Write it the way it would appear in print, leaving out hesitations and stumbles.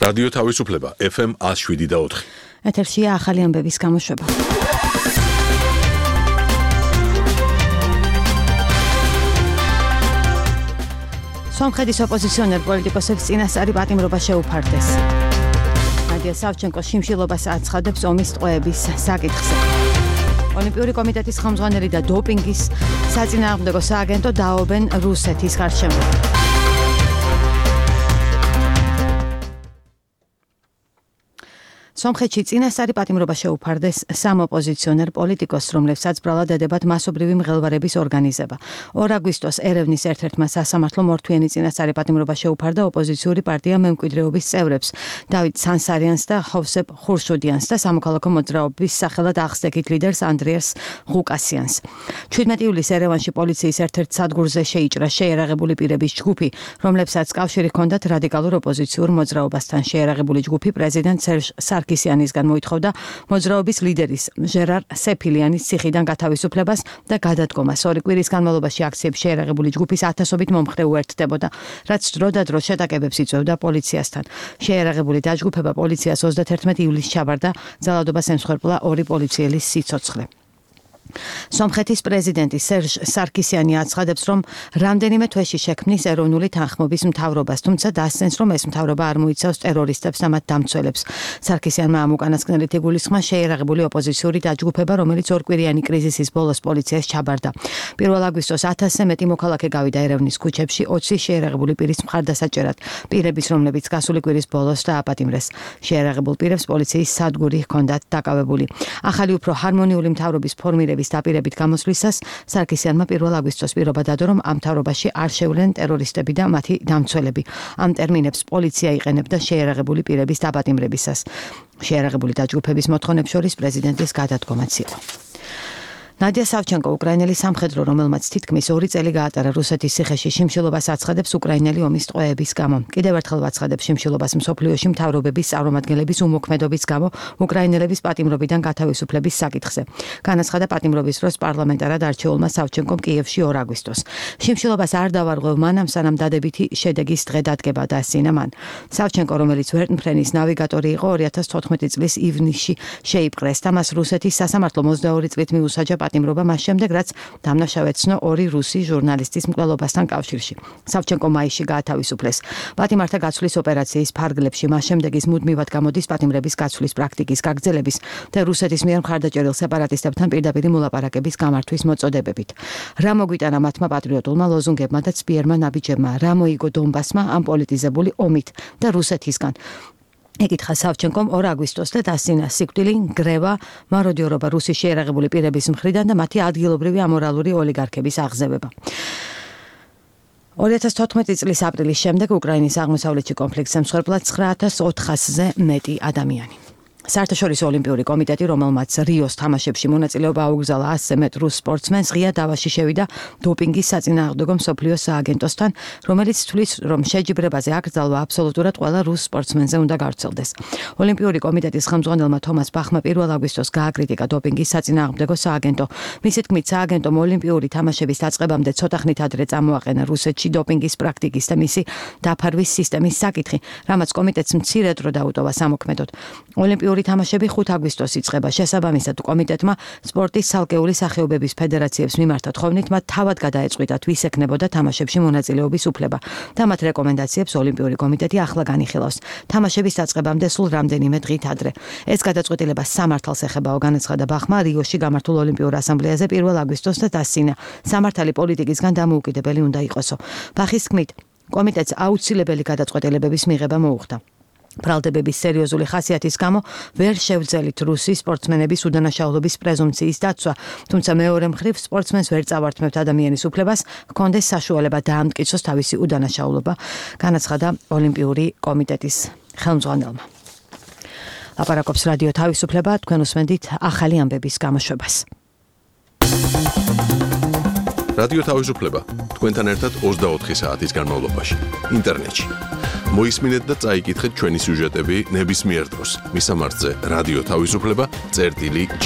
რადიო თავისუფლება FM 107.4. ეთერშია ახალი ამბების გამოშვება. სომხეთის ოპოზიციონერ პოლიტიკოსებს წინასწარი პატიმრობა შეუფარდეს. ნადია სავჩენკოს შიმშილობას აცხადებს ომის ტყვეების საკითხზე. ოლიმპიური კომიტეტის ხელმძღვანელი და დოპინგის საწინააღმდეგო სააგენტო დაობენ რუსეთის გარშემო. სომხეთში წინასწარი პატიმრობა შეუფარდეს სამ ოპოზიციონერ პოლიტიკოსს, რომლებსაც ბრალად ედებათ მასობრივი მღელვარების ორგანიზება. 2 აგვისტოს ერევნის ერთ-ერთმა სასამართლომ მორთვიანი წინასწარი პატიმრობა შეუფარდა ოპოზიციური პარტია მემკვიდრეობის წევრებს დავით სანსარიანს და ხოვსეფ ხურშუდიანს და სამოქალაქო მოძრაობის სახელად აღსდექით ლიდერს ანდრიას ღუკასიანს. 17 ივლისს ერევანში პოლიციის ერთ-ერთ სადგურზე შეიჭრა შეიარაღებული პირების ჯგუფი, რომლებსაც კავშირი ჰქონდათ რადიკალურ ოპოზიციურ მოძრაობასთან. შეიარაღებული ჯგუფი პრეზიდენტ სერჟ სარკისიანისგან მოითხოვდა მოძრაობის ლიდერის ჟერარ სეფილიანის ციხიდან გათავისუფლებას და გადადგომას. 2 კვირის განმავლობაში აქციებში შეიარაღებული ჯგუფის ათასობით მომხრე უერთდებოდა, რაც დროდადრო შეტაკებებს იწვევდა პოლიციასთან. შეიარაღებული დაჯგუფება პოლიციას 31 ივლისს ჩაბარდა, ძალადობას ემსხვერპლა 2 პოლიციელის სიცოცხლე. სომხეთის პრეზიდენტი სერჟ სარკისიანი აცხადებს, რომ რამდენიმე თვეში შექმნის ეროვნული თანხმობის მთავრობას, თუმცა დასცენს, რომ ეს მთავრობა არ მოიცავს ტერორისტებს და მათ დამცველებს. სარკისიანმა ამ უკანასკნელით იგულისხმა შეიარაღებული ოპოზიციური დაჯგუფება, რომელიც 2 კვირიანი კრიზისის ბოლოს პოლიციას ჩაბარდა. 1 აგვისტოს 1000-ზე მეტი მოქალაქე გავიდა ერევნის ქუჩებში 20 შეიარაღებული პირის მხარდასაჭერად, პირების, რომლებიც გასული კვირის ბოლოს დააპატიმრეს. შეიარაღებულ პირებს პოლიციის სადგური ჰქონდათ დაკავებული. ახალი უფრო ჰარმონიული მთავრობის ფორმირების დაპირებით გამოსვლისას სარკისიანმა 1 აგვისტოს პირობა დადო, რომ ამ მთავრობაში არ შევლენ ტერორისტები და მათი დამცველები. ამ ტერმინებს პოლიცია იყენებდა შეიარაღებული პირების დაპატიმრებისას. შეიარაღებული დაჯგუფების მოთხოვნებს შორის პრეზიდენტის გადადგომაც იყო. ნადია სავჩენკო, უკრაინელი სამხედრო, რომელმაც თითქმის 2 წელი გაატარა რუსეთის ციხეში, შიმშილობას აცხადებს უკრაინელი ომის ტყვეების გამო. კიდევ ერთხელ ვაცხადებს შიმშილობას მსოფლიოში მთავრობების წარმომადგენლების უმოქმედობის გამო უკრაინელების პატიმრობიდან გათავისუფლების საკითხზე. განაცხადა პატიმრობის დროს პარლამენტარად არჩეულმა სავჩენკომ კიევში 2 აგვისტოს. შიმშილობას არ დავარღვევ მანამ, სანამ დადებითი შედეგის დღე დადგება, დასცინა მან. სავჩენკო, რომელიც ვერტმფრენის ნავიგატორი იყო, 2014 წლის ივნისში შეიპყრეს და მას რუსეთის სასამართლო 22 წლით მიუსაჯა პატიმრობა მას შემდეგ, რაც დამნაშავეცნო 2 რუსი ჟურნალისტის მკვლელობასთან კავშირში. სავჩენკო მაისში გაათავისუფლეს. პატიმართა გაცვლის ოპერაციის ფარგლებში მას შემდეგ ის მუდმივად გამოდის პატიმრების გაცვლის პრაქტიკის გაგრძელების და რუსეთის მიერ მხარდაჭერილ სეპარატისტებთან პირდაპირი მოლაპარაკების გამართვის მოწოდებებით. რა მოგვიტანა მათმა პატრიოტულმა ლოზუნგებმა და ცბიერმა ნაბიჯებმა, რა მოიგო დონბასმა ამ პოლიტიზებული ომით და რუსეთისგან. ეკითხა სავჩენკომ 2 აგვისტოს და დასცინა სიკვდილი, გრევა, მაროდიორობა რუსის შეიარაღებული პირების მხრიდან და მათი ადგილობრივი ამორალური ოლიგარქების აღზევება. 2014 წლის აპრილის შემდეგ უკრაინის აღმოსავლეთში კონფლიქტს ემსხვერპლა 9400-ზე მეტი ადამიანი. საერთაშორისო ოლიმპიური კომიტეტი, რომელმაც რიოს თამაშებში მონაწილეობა აუგზავნა 100-ზე მეტ რუს სპორტსმენს, ღია დავაში შევიდა დოპინგის საწინააღმდეგო მსოფლიო სააგენტოსთან, რომელიც თვლის, რომ შეჯიბრებაზე აკრძალვა აბსოლუტურად ყველა რუს სპორტსმენზე უნდა გავრცელდეს. ოლიმპიური კომიტეტის ხელმძღვანელმა თომას ბახმა 1 აგვისტოს გააკრიტიკა დოპინგის საწინააღმდეგო სააგენტო. მისი თქმით, სააგენტომ ოლიმპიური თამაშების დაწყებამდე ცოტა ხნით ადრე წამოაყენა რუსეთში დოპინგის პრაქტიკის და მისი დაფარვის სისტემის საკითხი, რამაც კომიტეტს მცირე დრო დაუტოვა სამოქმედოდ. ოლიმპიური თამაშები 5 აგვისტოს იწყება. შესაბამისად, კომიტეტმა სპორტის ცალკეული სახეობების ფედერაციებს მიმართა თხოვნით მათ თავად გადაეწყვიტათ, ვის ექნებოდა თამაშებში მონაწილეობის უფლება და მათ რეკომენდაციებს ოლიმპიური კომიტეტი ახლა განიხილავს. თამაშების დაწყებამდე სულ რამდენიმე დღით ადრე. ეს გადაწყვეტილება სამართალს ეხებაო, განაცხადა ბახმა რიოში გამართულ ოლიმპიურ ასამბლეაზე 1 აგვისტოს და დასცინა, სამართალი პოლიტიკისგან დამოუკიდებელი უნდა იყოსო. ბახის თქმით, კომიტეტს აუცილებელი გადაწყვეტილებების მიღება მოუხდა. ბრალდებების სერიოზული ხასიათის გამო ვერ შევძელით რუსი სპორტსმენების უდანაშაულობის პრეზუმციის დაცვა, თუმცა მეორე მხრივ სპორტსმენს ვერ წავართმევთ ადამიანის უფლებას ჰქონდეს საშუალება დაამტკიცოს თავისი უდანაშაულობა, განაცხადა ოლიმპიური კომიტეტის ხელმძღვანელმა. ლაპარაკობს რადიო თავისუფლება, თქვენ უსმენთ ახალი ამბების გამოშვებას. რადიო თავისუფლება თქვენთან ერთად 24 საათის განმავლობაში ინტერნეტში. მოისმინეთ და წაიკითხეთ ჩვენი სიუჟეტები ნებისმიერ დროს. მისამართზე რადიო თავისუფლება წერტილი G.